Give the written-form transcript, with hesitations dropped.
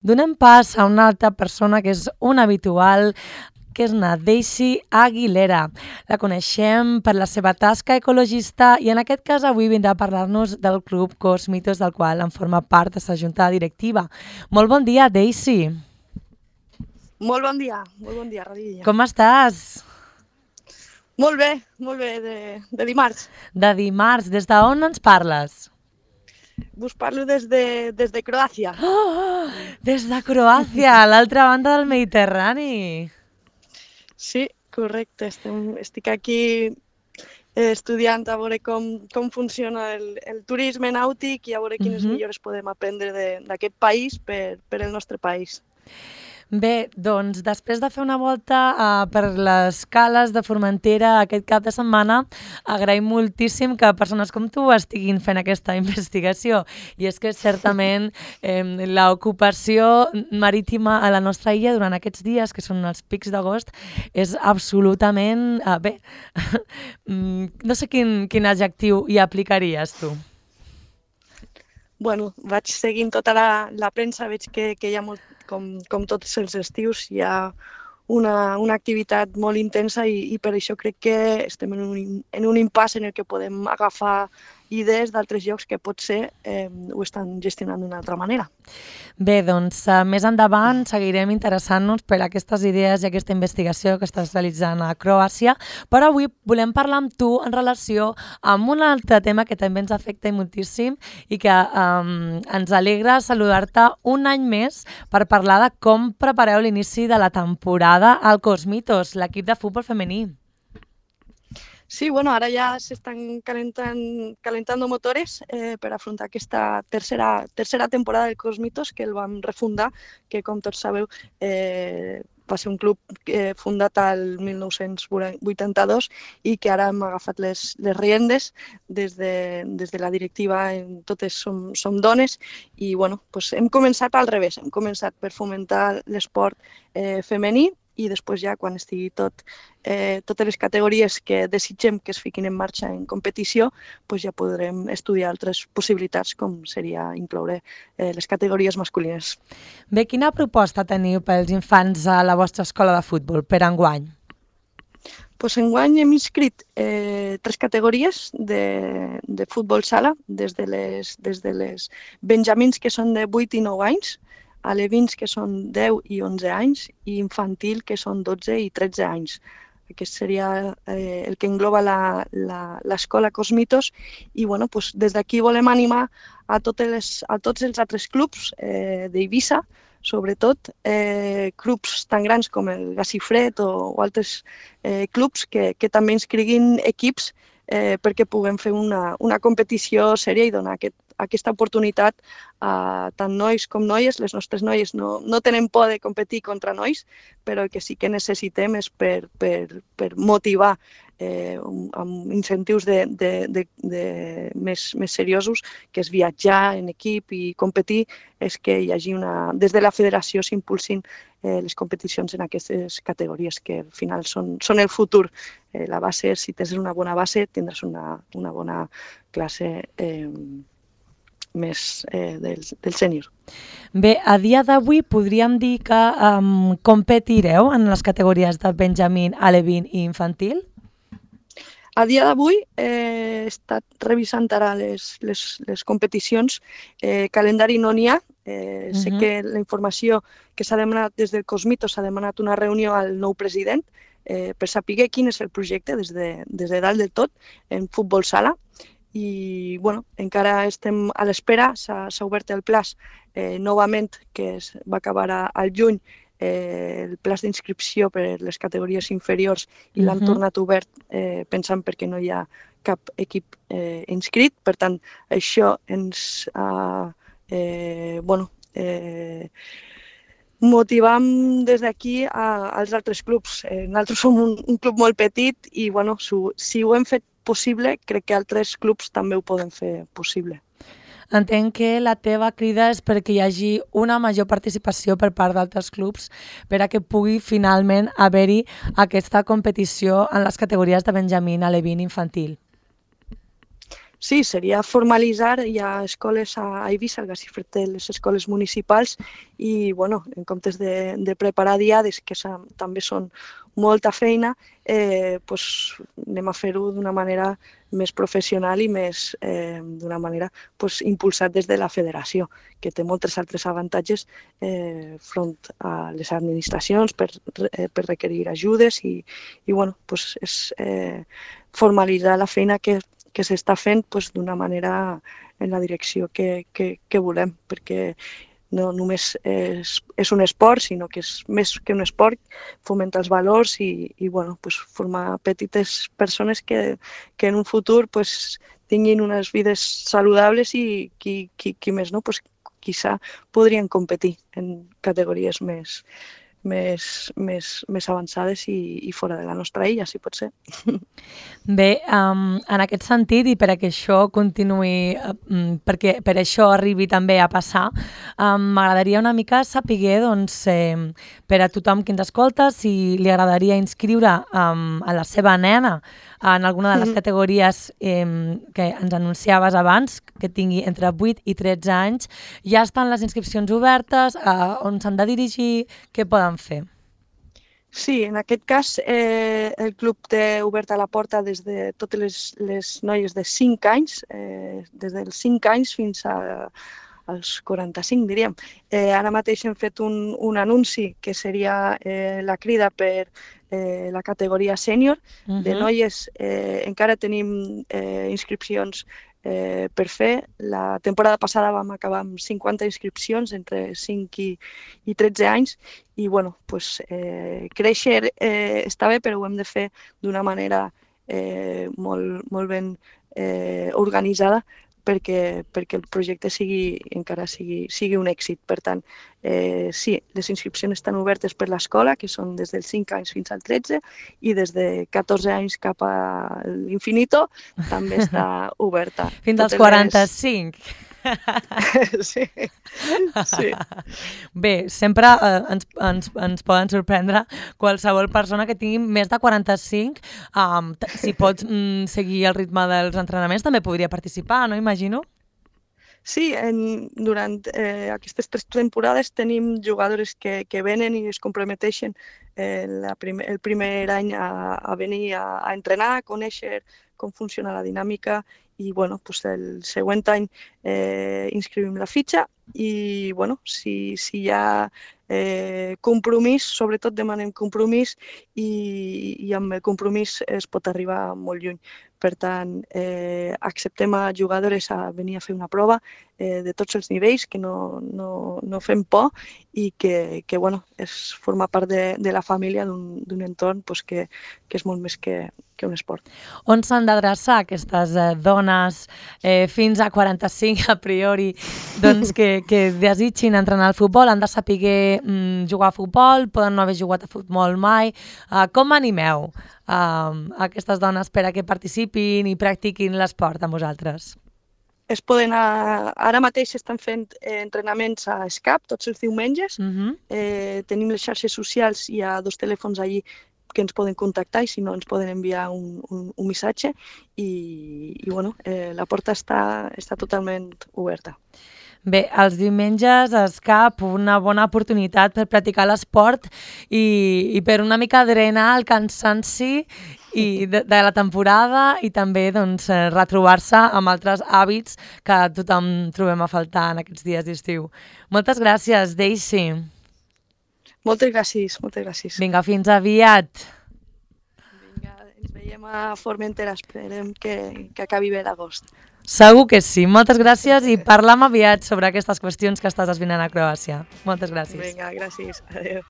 Donem pas a una altra persona que és una habitual, que és na Daisy Aguilera. La coneixem per la seva tasca ecologista i en aquest cas avui vindrà a parlar-nos del Club Cosmitos, del qual en forma part de la junta directiva. Molt bon dia, Daisy. Molt bon dia, Radilla. Com estàs? Molt bé, de dimarts. De dimarts, des d'on ens parles? Us parlo des de Croàcia. Oh, des de Croàcia, a l'altra banda del Mediterrani. Sí, correcte. Estic aquí estudiant a veure com funciona el turisme nàutic i a veure quines millores podem aprendre d'aquest país per el nostre país. Bé, doncs després de fer una volta per les cales de Formentera aquest cap de setmana, agraïm moltíssim que persones com tu estiguin fent aquesta investigació. I és que certament l'ocupació marítima a la nostra illa durant aquests dies, que són els pics d'agost, és absolutament... bé, no sé quin adjectiu hi aplicaries tu. Bueno, vaig seguint tota la premsa, veig que hi ha molt, com tots els estius, hi ha una activitat molt intensa i per això crec que estem en un impàs en el que podem agafar idees d'altres llocs que potser ho estan gestionant d'una altra manera. Bé, doncs més endavant seguirem interessant-nos per aquestes idees i aquesta investigació que estàs realitzant a Croàcia, però avui volem parlar amb tu en relació amb un altre tema que també ens afecta moltíssim i que ens alegra saludar-te un any més per parlar de com prepareu l'inici de la temporada al Cosmitos, l'equip de futbol femení. Sí, bueno, ara ja s'estan calentando motores per afrontar aquesta tercera temporada del Cosmitos, que el vam refundar, que com tots sabeu va ser un club fundat al 1982 i que ara hem agafat les riendes des de la directiva, totes som dones i bueno, doncs hem començat al revés, hem començat per fomentar l'esport femení i després ja quan estigui totes les categories que desitgem que es fiquin en marxa en competició, doncs ja podrem estudiar altres possibilitats com seria incloure les categories masculines. Bé, quina proposta teniu pels infants a la vostra escola de futbol per enguany? Doncs enguany hem inscrit 3 categories de futbol sala, des de les benjamins que són de 8 i 9 anys, alevins que són 10 i 11 anys i infantil que són 12 i 13 anys. Aquest seria el que engloba l'escola Cosmitos i bueno, doncs des d'aquí volem animar a tots els altres clubs d'Eivissa, sobretot clubs tan grans com el Gacifred o altres clubs que també inscriguin equips perquè puguem fer una competició sèria i donar aquesta oportunitat a tant nois com noies. Les nostres noies no tenen por de competir contra nois, però el que sí que necessitem és per motivar amb incentius més seriosos, que és viatjar en equip i competir, és que hi hagi des de la federació s'impulsin les competicions en aquestes categories que al final són el futur. La base, si tens una bona base, tindràs una bona classe més del sènior. Bé, a dia d'avui podríem dir que competireu en les categories de benjamín, alevín i infantil? A dia d'avui he estat revisant ara les competicions, calendari no n'hi ha. Sé que la informació que s'ha demanat des del Cosmitos s'ha demanat una reunió al nou president per saber quin és el projecte des de dalt del tot en futbol sala. I bueno, encara estem a l'espera, s'ha obert el plaç novament, que va acabar al juny, el plaç d'inscripció per les categories inferiors i l'han tornat obert pensant perquè no hi ha cap equip inscrit. Per tant, això ens motivam des d'aquí als altres clubs. Nosaltres som un club molt petit i bueno, si ho hem fet possible, crec que altres clubs també ho poden fer possible. Entenc que la teva crida és perquè hi hagi una major participació per part d'altres clubs per a que pugui finalment haver-hi aquesta competició en les categories de benjamín, alevín i infantil. Sí, seria formalitzar. Hi ha escoles a Eivissa, el García Ferrer, les escoles municipals, i bueno, en comptes de preparar diades, que també són molta feina, pues, anem a fer-ho d'una manera més professional i més d'una manera pues, impulsat des de la federació, que té molts altres avantatges front a les administracions per requerir ajudes i bueno, pues, és formalitzar la feina que s'està fent pues, d'una manera en la direcció que volem, perquè no només és un esport, sinó que és més que un esport, fomenta els valors i bueno, pues, formar petites persones que en un futur pues, tinguin unes vides saludables i qui més no, pues, quizá podrien competir en categories més avançades i fora de la nostra illa, si pot ser. Bé, en aquest sentit, i per a que això continuï, perquè per això arribi també a passar, m'agradaria una mica saber, doncs, per a tothom que ens escolta, si li agradaria inscriure a la seva nena en alguna de les categories que ens anunciaves abans, que tingui entre 8 i 13 anys. Ja estan les inscripcions obertes, on s'han de dirigir, què poden fer? Sí, en aquest cas el club té oberta la porta des de totes les noies de 5 anys, des dels 5 anys fins als 45, diríem. Ara mateix hem fet un anunci que seria la crida per la categoria sènior. De noies encara tenim inscripcions per fer. La temporada passada vam acabar amb 50 inscripcions entre 5 i 13 anys i bueno, pues, créixer està bé, però ho hem de fer d'una manera molt ben organitzada perquè el projecte encara sigui un èxit. Per tant, sí, les inscripcions estan obertes per l'escola, que són des dels 5 anys fins al 13, i des de 14 anys cap a l'infinito també està oberta. Fins als 45. Sí. Bé, sempre ens poden sorprendre qualsevol persona que tingui més de 45. Si pots seguir el ritme dels entrenaments, també podria participar, no? Imagino. Sí, durant aquestes 3 temporades tenim jugadores que venen i es comprometeixen el primer any a venir a entrenar, a conèixer com funciona la dinàmica i bueno, pues el següent any inscrivim la fitxa i bueno, si hi ha compromís, sobretot demanem compromís i amb el compromís es pot arribar molt lluny. Per tant, acceptem a jugadores a venir a fer una prova de tots els nivells, que no fem por i que bueno, és formar part de la família d'un entorn pues, que és molt més que un esport. On s'han d'adreçar aquestes dones fins a 45 a priori doncs, que desitgin entrenar al futbol? Han de saber jugar a futbol? Poden no haver jugat a futbol mai? Com animeu aquestes dones per a que participin i practiquin l'esport amb vosaltres? Es poden ara mateix estan fent entrenaments a SCAP tots els diumenges. Tenim les xarxes socials, hi ha 2 telèfons allí que ens poden contactar i si no ens poden enviar un missatge i bueno, la porta està totalment oberta. Bé, els diumenges a SCAP, una bona oportunitat per practicar l'esport i per una mica drenar el cansanci de la temporada i també doncs, retrobar-se amb altres hàbits que tothom trobem a faltar en aquests dies d'estiu. Moltes gràcies, Daisy. Moltes gràcies. Vinga, fins aviat. Vinga, ens veiem a Formentera. Esperem que acabi bé l'agost. Segur que sí. Moltes gràcies i parlam aviat sobre aquestes qüestions que estàs desvinant a Croàcia. Moltes gràcies. Vinga, gràcies. Adéu.